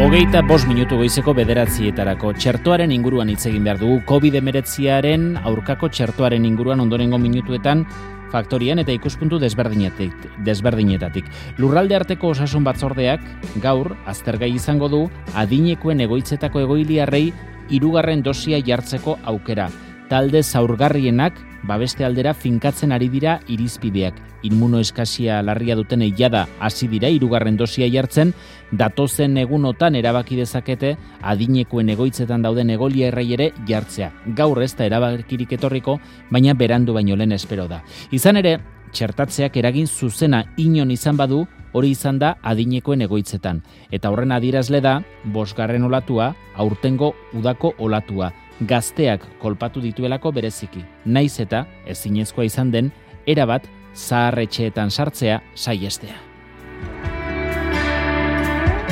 5 goizeko 9:00 txertoaren inguruan hitz egin behar dugu. COVID-19 aurkako txertoaren inguruan ondorengo minutuetan faktorian eta ikuspuntu desberdinetatik. Lurralde arteko osasun batzordeak gaur aztergai izango du adinekoen egoitzetako egoiliarrei 3. dosia jartzeko aukera. Talde zaurgarrienak babeste aldera finkatzen ari dira irizpideak. Inmunoeskasia larria duten jada hasi dira 3. dosia jartzen, datozen egunotan erabaki dezakete adinekoen egoitzetan dauden egoiliarrei ere jartzea. Gaur ez da erabakirik etorriko, baina berandu baino lehen espero da. Izan ere, txertatzeak eragin zuzena inon izan badu, hori izan da adinekoen egoitzetan. Eta horren adierazle da, 5. olatua, aurtengo udako olatua. Gazteak kolpatu dituelako bereziki. Naiz eta, ezinezkoa izan den, erabat zaharretxeetan sartzea saihestea.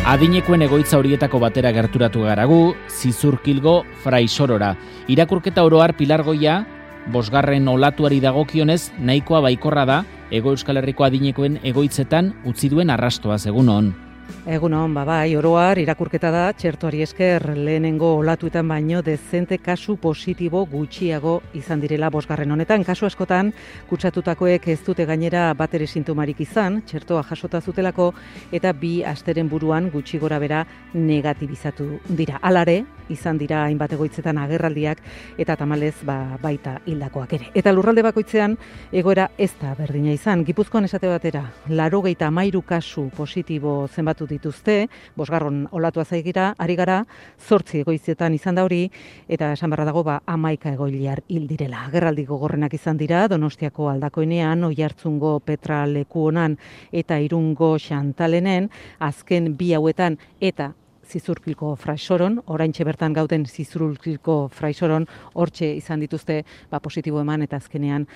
Adinekoen egoitza horietako batera gerturatu garagu, Zizurkilgo Fraisorora. Irakurketa oro har Pilar Goia, 5. olatuari dagokionez, nahikoa baikorra da, Hego Euskal Herriko adinekoen egoitzetan utzi duen arrastoaz. Egunon. Egunon, bai, oroar irakurketa da, txertoari esker lehenengo olatuetan baino dezente kasu positibo gutxiago izan direla 5. honetan. Kasu askotan, kutsatutakoek ez dute gainera batere sintomarik izan, txertoa jasota zutelako, eta 2 asteren buruan gutxi gora bera negatibizatu dira. Alare, izan dira hainbat egoitzetan agerraldiak, eta tamalez baita hildakoak ere. Eta lurralde bakoitzean, egoera ez da berdina izan. Gipuzkoan esate batera, 93 kasu positibo zenbatu dituzte, 5. olatua zaigira, ari gara, 8 egoitzetan izan da hori, eta esan barra dago, 11 egoiliar hil direla. Agerraldi gogorrenak izan dira, Donostiako Aldakoenean, Oiartzungo Petra Lekuonan eta Irungo Xantalenen, azken 2 hauetan eta Zizurkilko Fraisoron, oraintxe bertan gauden Zizurkilko Fraisoron, hortxe izan dituzte positibo eman eta azkenean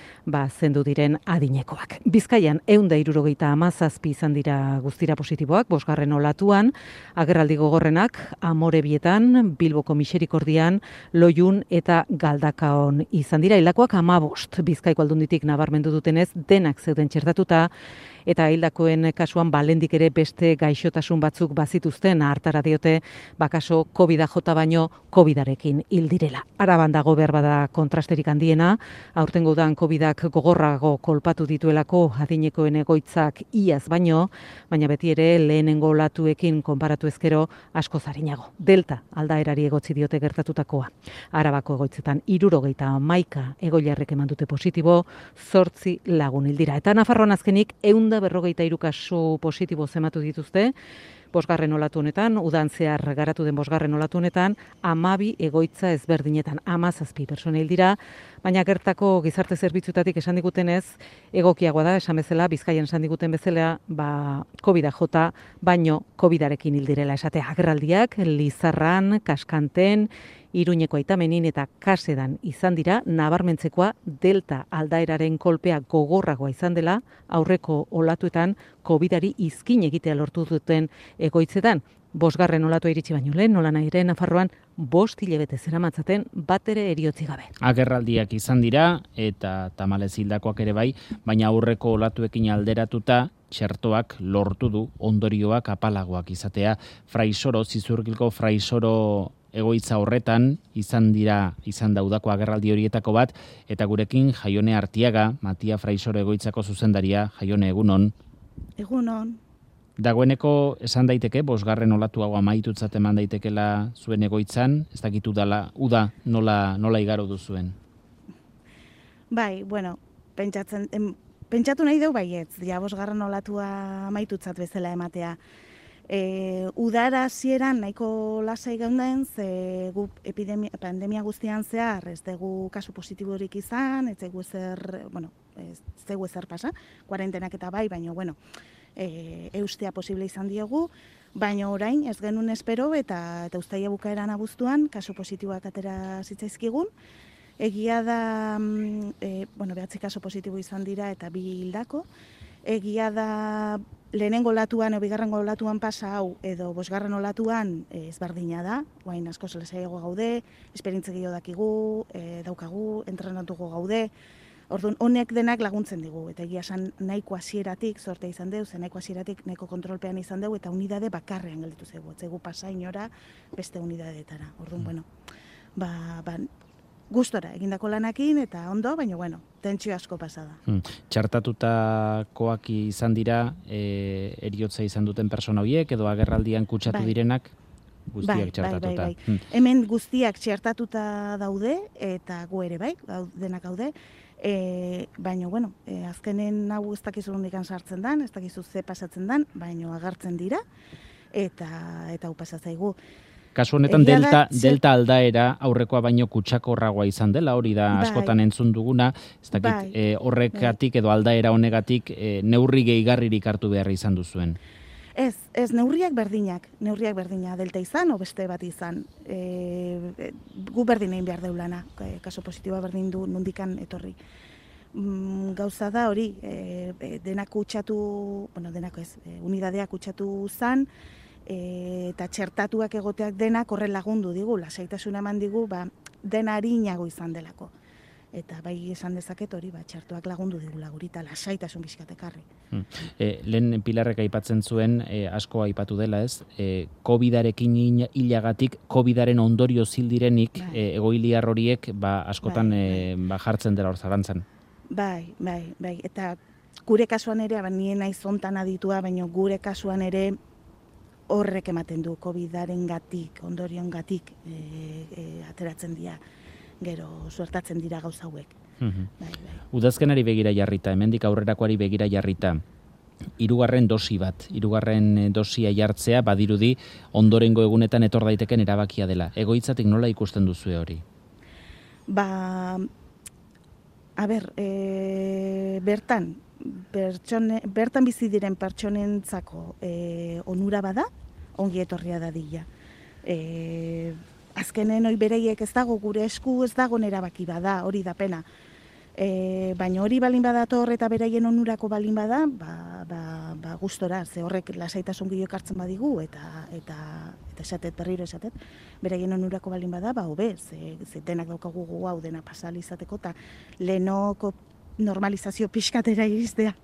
zendu diren adinekoak. Bizkaian 177 izan dira guztira positiboak, 5. olatuan, agerraldi gogorrenak Amorebietan, Bilboko Miserikordian, Loiun eta Galdakaon izan dira. Hildakoak 15, Bizkaiko Aldunditik nabarmendu dutenez, denak zeuden txertatuta, eta hildakoen kasuan balendik ere beste gaixotasun batzuk bazituzten, hartara diote, kaso COVID-a jota baino COVID-arekin hil direla. Araban dago behar bada kontrasterik handiena, aurtengo udan COVID-ak gogorrago kolpatu dituelako adinekoen egoitzak iaz baino, baina beti ere lehenengo olatuekin konparatu ezkero asko zarinago. Delta aldaerari egotzi diote gertatutakoa. Arabako egoitzetan 71 egoiliarrek eman dute positibo, 8 lagun hil dira. Eta Nafarroan azkenik 153 kasu positibo zematu dituzte, 5. olatu honetan, udan zehar garatu den 5. olatu honetan, 12 egoitza ezberdinetan, 17 pertsona hil dira, baina gertako gizarte zerbitzutatik esan digutenez, egokiagoa da, esan bezala, Bizkaian esan diguten bezala, COVID-a jota, baino COVID-arekin hil direla esatea. Agerraldiak, Lizarran, Kaskanten, Iruñeko Aitamenin eta Kasedan izan dira, nabarmentzekoa Delta aldaeraren kolpea gogorragoa izan dela, aurreko olatuetan COVID-ari izkin egitea lortu duten egoitzetan. 5. olatua iritsi baino lehen, nola nahi ere Nafarroan 5 hilabete zeramatzaten batere eriotzi gabe. Agerraldiak izan dira eta tamalez hildakoak ere bai, baina aurreko olatuekin alderatuta txertoak lortu du ondorioak apalagoak izatea. Fraisoro, Zizurkilko Fraisoro egoitza horretan izan da udako agerraldi horietako bat, eta gurekin Jaione Artiaga, Matia Fraisoro egoitzako zuzendaria. Jaione, egunon. Egunon. Dagoeneko esan daiteke, 5. olatu hau amaitutzat eman daitekela zuen egoitzan, ez dakitu dala, uda nola igaro duzuen? Bai, bueno, pentsatu nahi deu baietz, 5. olatua amaitutzat bezala ematea. Udara hasieran nahiko lasai geunden, ze gu pandemia guztian zehar ez dugu kasu positiborik izan, ez zegu ezer pasa, kuarentenak eta bai, baina eustea posible izan diogu, baina orain ez genuen espero eta uztaila bukaeran abuztuan kasu positiboak atera zitzaizkigun. Egia da, 9 kasu positibo izan dira eta 2 hildako. Egia da, lehenengo olatuan, 2. olatuan pasa hau, edo 5. olatuan ezberdina da, guain asko zelesaiago gaude, esperientze gehiago dakigu, daukagu, entrenatuko gaude, Orduan, honek denak laguntzen digu, eta egia esan nahiko hasieratik sorte izan dugu, nahiko hasieratik nahiko kontrolpean izan dugu, eta unidade bakarrean gelditu zaigu, etzegu pasa inora beste unidadeetara. Orduan, bueno, gustora egindako lanakin eta ondo, baina bueno, tentsio asko pasada. Txartatutakoak izan dira eriotza izan duten persona horiek edo agerraldian kutsatu direnak guztiak txartatuta. Bai. Hemen guztiak txartatuta daude eta gu ere bai, denak gaude. Baina, bueno, azkenen hau ez dakizu nondikan sartzen dan, ez dakizu ze pasatzen dan, baina agertzen dira eta hau pasatzaigu. Kasu honetan delta aldaera aurrekoa baino kutsakorragoa izan dela, hori da askotan entzun duguna, ez dakit horrekatik edo aldaera honegatik neurri gehigarririk hartu behar izan duzuen. Ez neurriak berdina, delta izan o beste bat izan. Gu berdin egin behar deulana, kaso positiboa berdin du nondikan etorri. Gauza da hori, denak kutsatu, unidadeak kutsatu zan, eta txertatuak egoteak denak horren lagundu digu, lasaitasuna eman digu, dena arinago izan delako. Eta bai esan dezaket hori, txertuak lagundu digula guri, eta lasaitasun bizkatekarri. Lehen Pilarrek aipatzen zuen, asko aipatu dela ez, COVID-arekin hilagatik, COVID-aren ondorio zildirenik, egoiliar horiek askotan jartzen dela hor zalantzan. Bai, eta gure kasuan ere, nien naiz hontan aditua, baina gure kasuan ere, horrek ematen du COVID-aren gatik, ondorion gatik ateratzen dira, gero suertatzen dira gauza hauek. Udazkenari begira jarrita, hemendik aurrerakoari begira jarrita, hirugarren dosia jartzea badirudi ondorengo egunetan etor daiteken erabakia dela. Egoitzatik nola ikusten duzue hori? Bertan bizi diren pertsonentzako onura bada, ongi etorria dadila. Azkenen hori bereiek ez dago, gure esku ez dago erabaki bada, hori da pena. Baina hori balin badator eta beraien onurako balin bada, gustora, ze horrek lasaitasun gehiago hartzen badigu, eta berriro esatet, beraien onurako balin bada, hobe, ze denak daukagu gu hau dena pasal izateko, eta lehenoko normalizazio pixkatera iristea.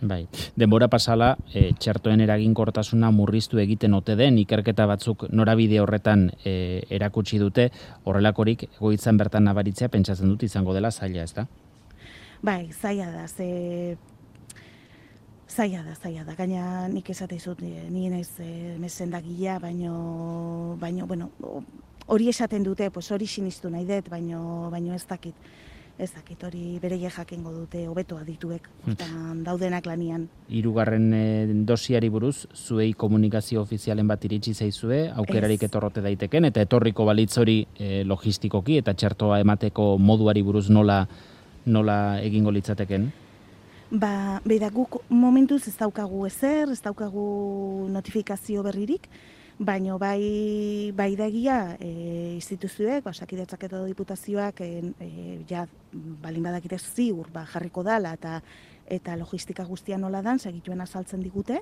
Bai, denbora pasala, txertoen eraginkortasuna murriztu egiten ote den, ikerketa batzuk norabide horretan erakutsi dute, horrelakorik egoitzan bertan nabaritzea pentsatzen dut izango dela zaila, ez da? Bai, zaila da, zaila da. Gaina nik esate izut, nien ez mesendagila, baino, bueno, hori esaten dute, hori sinistu nahi dut, baino ez dakit. Ez dakit, hori bereie jakengo dute hobeto adituek, daudenak lanian. Hirugarren dosiari buruz, zuei komunikazio ofizialen bat iritsi zaizue, aukerarik etorrote daiteken, eta etorriko balitz hori logistikoki eta txertoa emateko moduari buruz nola egingo litzateken? Beida, guk momentuz ez daukagu ezer, ez daukagu notifikazio berririk, baina bai dagia instituzioek, Osakidetzak edo diputazioak balin badakite ziur jarriko dala eta logistika guztia nola dan, segituen azaltzen digute,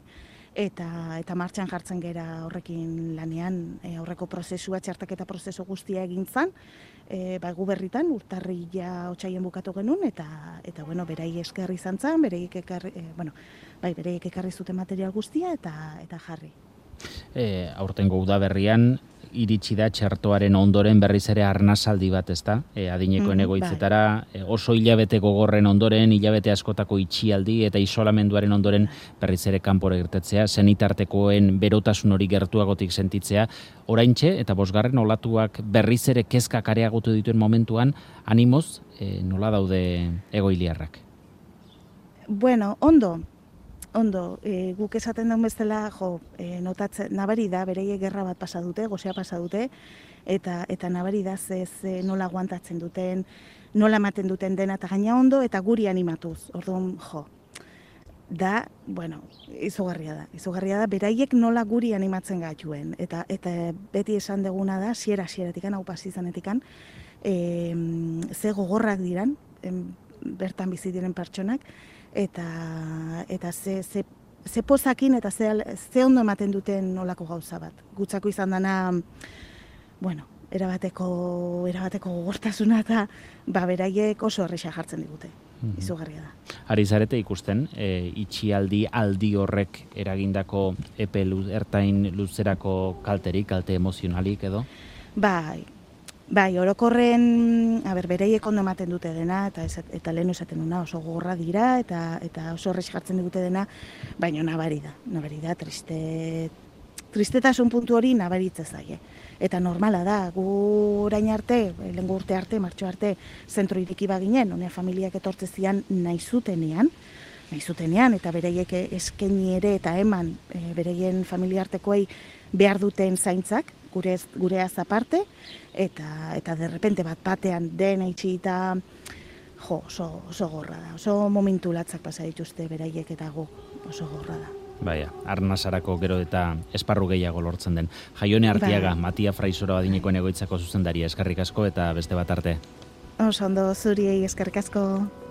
eta martxan jartzen gera horrekin lanean aurreko prozesua, txertaketa prozesu guztia egintzan, gu berritan urtarrila otsaien bukatu genuen, eta berai esker izan zan, bereik ekarri zuten material guztia eta jarri. Aurtengo udaberrian iritsi da txertoaren ondoren berriz ere arnasaldi bat, ezta? Adinekoen egoitzetara, oso hilabete gogorren ondoren, hilabete askotako itxialdi eta isolamenduaren ondoren berriz ere kanpora irtetzea, senitartekoen berotasun hori gertuagotik sentitzea, oraintxe eta 5. olatuak berriz ere kezkak areagotu dituen momentuan, animoz, nola daude egoiliarrak? Bueno, ondo, guk esaten daun bezala, notatzen, nabari da, bereiek gerra bat pasa dute, gozea pasa dute, eta nabari da nola aguantatzen duten, nola ematen duten dena, eta gaina ondo, eta guri animatuz. Orduan, da, izugarria da, beraiek nola guri animatzen gaituen, eta beti esan deguna da, siera-sieratikan, hau pasizanetikan, ze gogorrak diran, bertan bizi diren pertsonak, eta ze pozakin eta ze ondo ematen duten nolako gauza bat. Gutzako izan dana, erabateko gogortasuna eta beraiek oso erresa jartzen digute. Izugarria da. Ari zarete ikusten, itxialdi aldi horrek eragindako epe ertain luzerako kalte emozionalik edo? Bai, orokorren, beraiek ondo ematen dute dena, eta lehen esaten duna oso gogorra dira, eta oso erresa jartzen digute dena, baina nabari da, tristetasun puntu hori nabaritze zaie. Eta normala da, gu orain arte, lehengo urte arte, martxo arte, zentro iriki baginen, honea familiak etortze zian nahi zutenean, eta beraiek eskaini ere eta eman beraien familiartekoei behar duten zaintzak, gureaz aparte, eta derrepente batean dena itxi eta oso gorra da, oso momentu latzak pasa dituzte beraiek eta gu oso gorra da. Baina, arnasarako gero eta esparru gehiago lortzen den. Jaione Artiaga, Matia Fraisoro adinekoen egoitzako zuzendaria, eskerrik asko eta beste bat arte. Oso ondo, zuriei eskerrik asko.